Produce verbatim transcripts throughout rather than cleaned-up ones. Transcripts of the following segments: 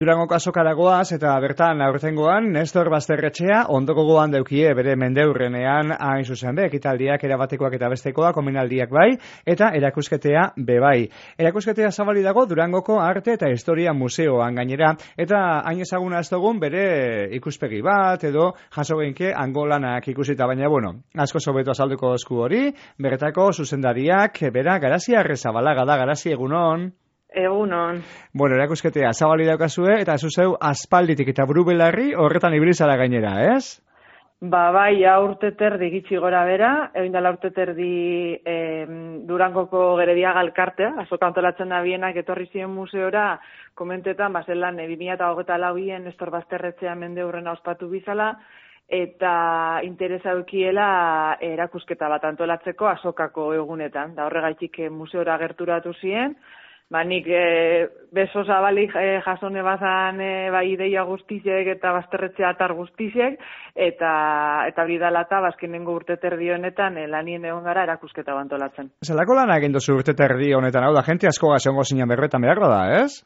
Durangoko azokara goaz eta bertan aurtengoan Nestor Basterretxea ondoko goan daukie bere mendeurrenean hain zuzen be, ekitaldiak erabatekoak eta bestekoak, omenaldiak bai, eta erakusketea be bai. Erakusketea zabali dago Durangoko Arte eta Historia Museoan gainera, eta hain ezaguna ez dugun bere ikuspegi bat edo jaso geinke angolanak ikusita, baina bueno, asko sobeto azalduko esku hori, bertako zuzendariak, bera Garazia Arrezabalaga da, Garazia egunon. Egunon. Bueno, erakusketea zabali daukazue eta zuzeu aspalditik eta buru belarri horretan ibilizara gainera, ez? Ba, bai, ja urte terdi gitxi gora bera, egin dela urte terdi eh, Durangoko Gerediaga elkartea, azoka antolatzen da bienak etorri ziren museora, komentetan, bazelan, bi mila hogeita lauan Nestor Basterretxea mendeurrena ospatu bizala, eta interesa eukiela erakusketa bat antolatzeko azokako egunetan, da horregaitik museora gerturatu ziren. Ba, nik e, beso zabalik e, jasone bazan e, bai ideia guztizek eta Basterretxea atar guztizek, eta eta bidala eta bazkenengo urte terdi honetan e, lanien egon gara erakusketa bantolatzen. Zelako lanak egin duzu urte terdi honetan, hau da, jente asko gaziongo zinen berretan beharra da, ez?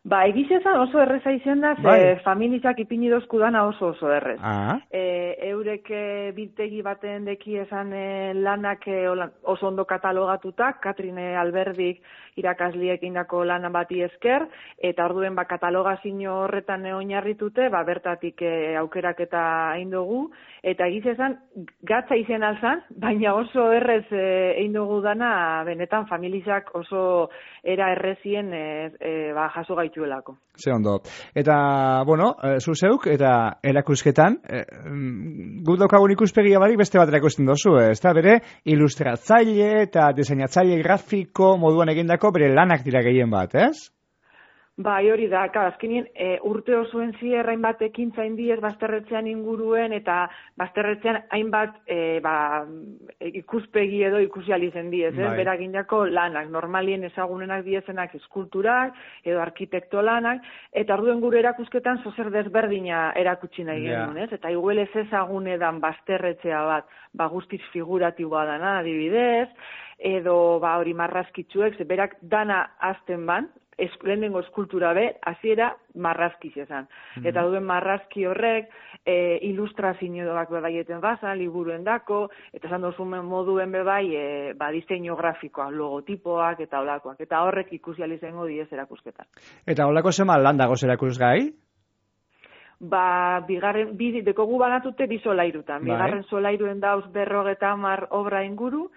Ba, egizezan oso erreza izen da, ze bai. Familizak ipini dozku dana oso oso errez. Ah. E, eurek e, biltegi baten deki esan e, lanak e, oso ondo katalogatutak, Katrine Alberdik irakasliek indako lana bati esker, eta orduen ba, katalogazio horretan e, oinarritute, ba, bertatik e, aukerak eta hain dugu, eta egizezan gatza izen alzan, baina oso errez e, egin dugu dana, benetan familizak oso era errezien e, e, ba, jaso gaitu. Ze ondo. Eta, bueno, zu zeuk, eta erakusketan, e, gut daukagun ikuspegia barik beste bat erakusten dozu, ez da, bere ilustratzaile eta diseinatzaile grafiko moduan egindako bere lanak dira gehien bat, ez? Bai, hori da, ka, azkenien e, urte osoen zierra hainbat ekintza indiez Basterretxean inguruen eta Basterretxean hainbat e, ba, ikuspegi edo ikusializen diez, bai. Berak indako lanak, normalien ezagunenak diezenak eskulturak edo arkitekto lanak, eta orduen gure erakusketan zozer desberdina erakutsi nahi yeah. genuen, ez? Eta igual ez ezagunedan Basterretxea bat, ba, guztiz figuratiboa dana, adibidez, edo ba, hori marrazkitzuek, ze berak dana azten ban, lehenengo eskultura be, hasiera marrazkiz esan. Mm-hmm. Eta duen marrazki horrek, e, ilustrazio doak bebaieten baza, liburuen dako, eta esan dozumen moduen bebai, e, ba, diseinu grafikoa, logotipoak eta olakoak. Eta horrek ikusi alizengo diez erakusketan. Eta olako zema lan dagoz erakusgai? Ba, bigarren, bi, dekogu banatute bi solairutan. Bai. Bigarren solairuen dauz berrogeta hamar obra inguru,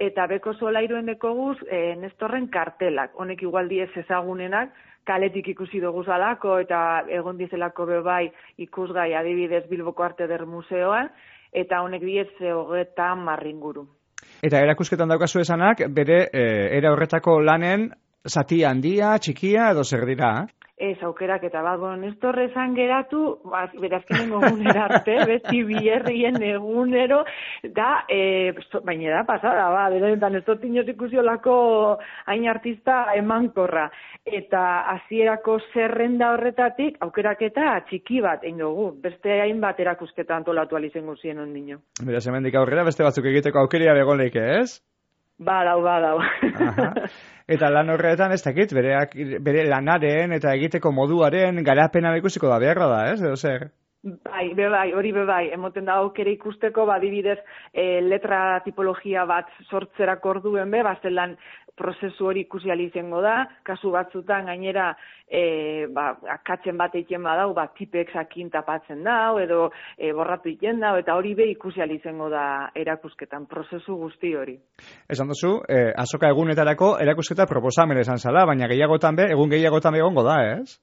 eta beko solairuen dekoguz e, Nestorren kartelak. Honek igual diez ezagunenak, kaletik ikusi dugu zalako, eta egon dizelako bebai ikusgai adibidez Bilboko Arte Eder Museoan, eta honek diez hogeta hamar inguru. Eta erakusketan daukazu esanak, bere e, era horretako lanen zati handia, txikia edo zer dira? Ez, aukerak eta bat, bueno, Nestor ezan geratu, berazkenen egunera arte, beti bierrien egunero, da, e, baina da, pasada, ba, berenetan, Nestor tinoz ikusi olako hain artista emankorra, eta hasierako zerrenda horretatik, aukerak eta txiki bat egin dugu, beste hainbat erakusketa antolatu alizengo zien ondino. Beraz, hemendik aurrera, beste batzuk egiteko aukeria begoleike, ez? Badau, badau. Eta lan horretan ez dakit, bere, bere lanaren eta egiteko moduaren garapena ikusiko da beharra da, ez? Edo zer? Bai, bebai, hori bebai, emoten da aukera ikusteko, badibidez, e, letra tipologia bat sortzerako orduen be, bazelan prozesu hori ikusi alizengo da, kasu batzutan gainera e, ba, akatzen bat egiten badau, ba, tipexakin tapatzen dau, edo e, borratu egiten dau, eta hori be ikusi alizengo da erakusketan, prozesu guzti hori. Esan duzu, e, azoka egunetarako erakusketa proposamen esan zala, baina gehiagotan be, egun gehiagotan be egongo da, ez?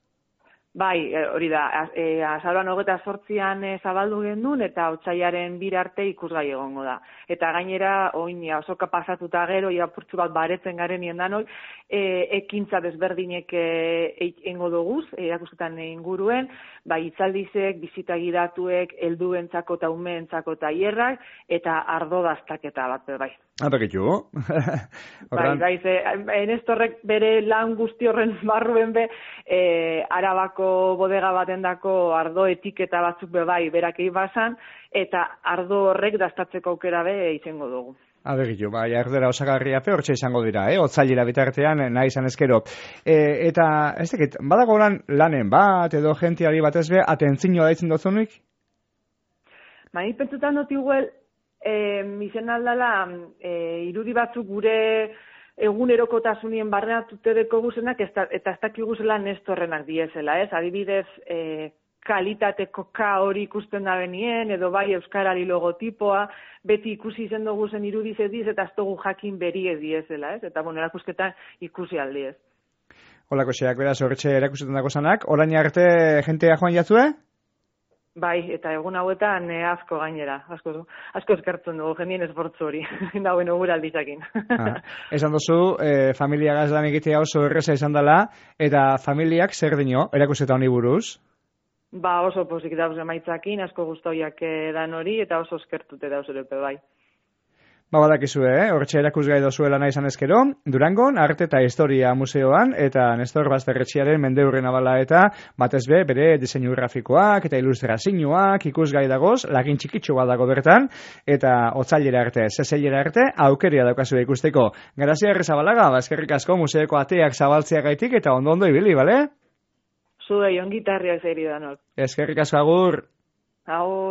Bai, hori da, e, azaroan hogeta sortzian e, zabaldu gendun eta otsailaren bir arte ikusgai egongo da. Eta gainera, oin, ja, osoka pasatuta gero, ja, purtsu bat baretzen garen diendanok, e, ekintza desberdinek egingo e, doguz, erakusketan e, inguruen, bai, itzaldizek, bizita gidatuek, helduentzako eta umeentzako tailerrak, eta ardo daztaketa bat, bai. Apekitu. Bai, bai, ze, Nestorrek bere lan guzti horren barruen be, e, Arabako bodega batendako ardo etiketa batzuk be bai berak egin bazan, eta ardo horrek dastatzeko aukera be izango dugu. Abegitu, bai, erdera osagarria pe hortxe izango dira, eh? Otzailera bitartean nahi izan ezkero. E, eta, ez dakit, badago lan lanen bat, edo jentiari batez be, atentzinoa daitzen dutzunik? Ba, ni pentsutan dut igual, eh, izen aldala, eh, irudi batzuk gure egunerokotasunien barrenatute deko guzenak, eta ez dakigu zela nestorrenak diezela, ez? Adibidez, eh, kalitateko ka hori ikusten da benien, edo bai euskarari logotipoa, beti ikusi izen dugu zen irudiz ediz, eta ez dugu jakin beri ediezela, ez? Eta, bueno, erakusketan ikusi aldiez. Holako xeak, beraz, horretxe erakusten dago zanak, orain arte jentea joan jatzue? Bai, eta egun hauetan eh, asko gainera, asko, asko eskertzen dugu, jendien esfortzu hori, dauen ogura aldizakin. Ah, esan duzu, eh, familia gazlan egitea oso erreza izan dela, eta familiak zer dino, erakusketa honi buruz? Ba, oso pozik dauz emaitzakin, asko guztoiak dan hori, eta oso eskertute dauz erepe bai. Ba, badakizue, eh? Hortxe erakusgai dozuela nahi izan ezkero, Durangon, Arte eta Historia Museoan, eta Nestor Basterretxearen mendeurren abala eta batez be, bere diseinu grafikoak eta ilustrazioak ikusgai dagoz, lagin txikitxo bat dago bertan, eta otzailera arte, zezeilera arte, aukeria daukazue ikusteko. Garazia Errezabalaga, bazkerrik asko museoko ateak zabaltzea gaitik, eta ondo-ondo ibili, bale? Zuei, ongitarriak zeiri danok. Eskerrik asko agur. Agur.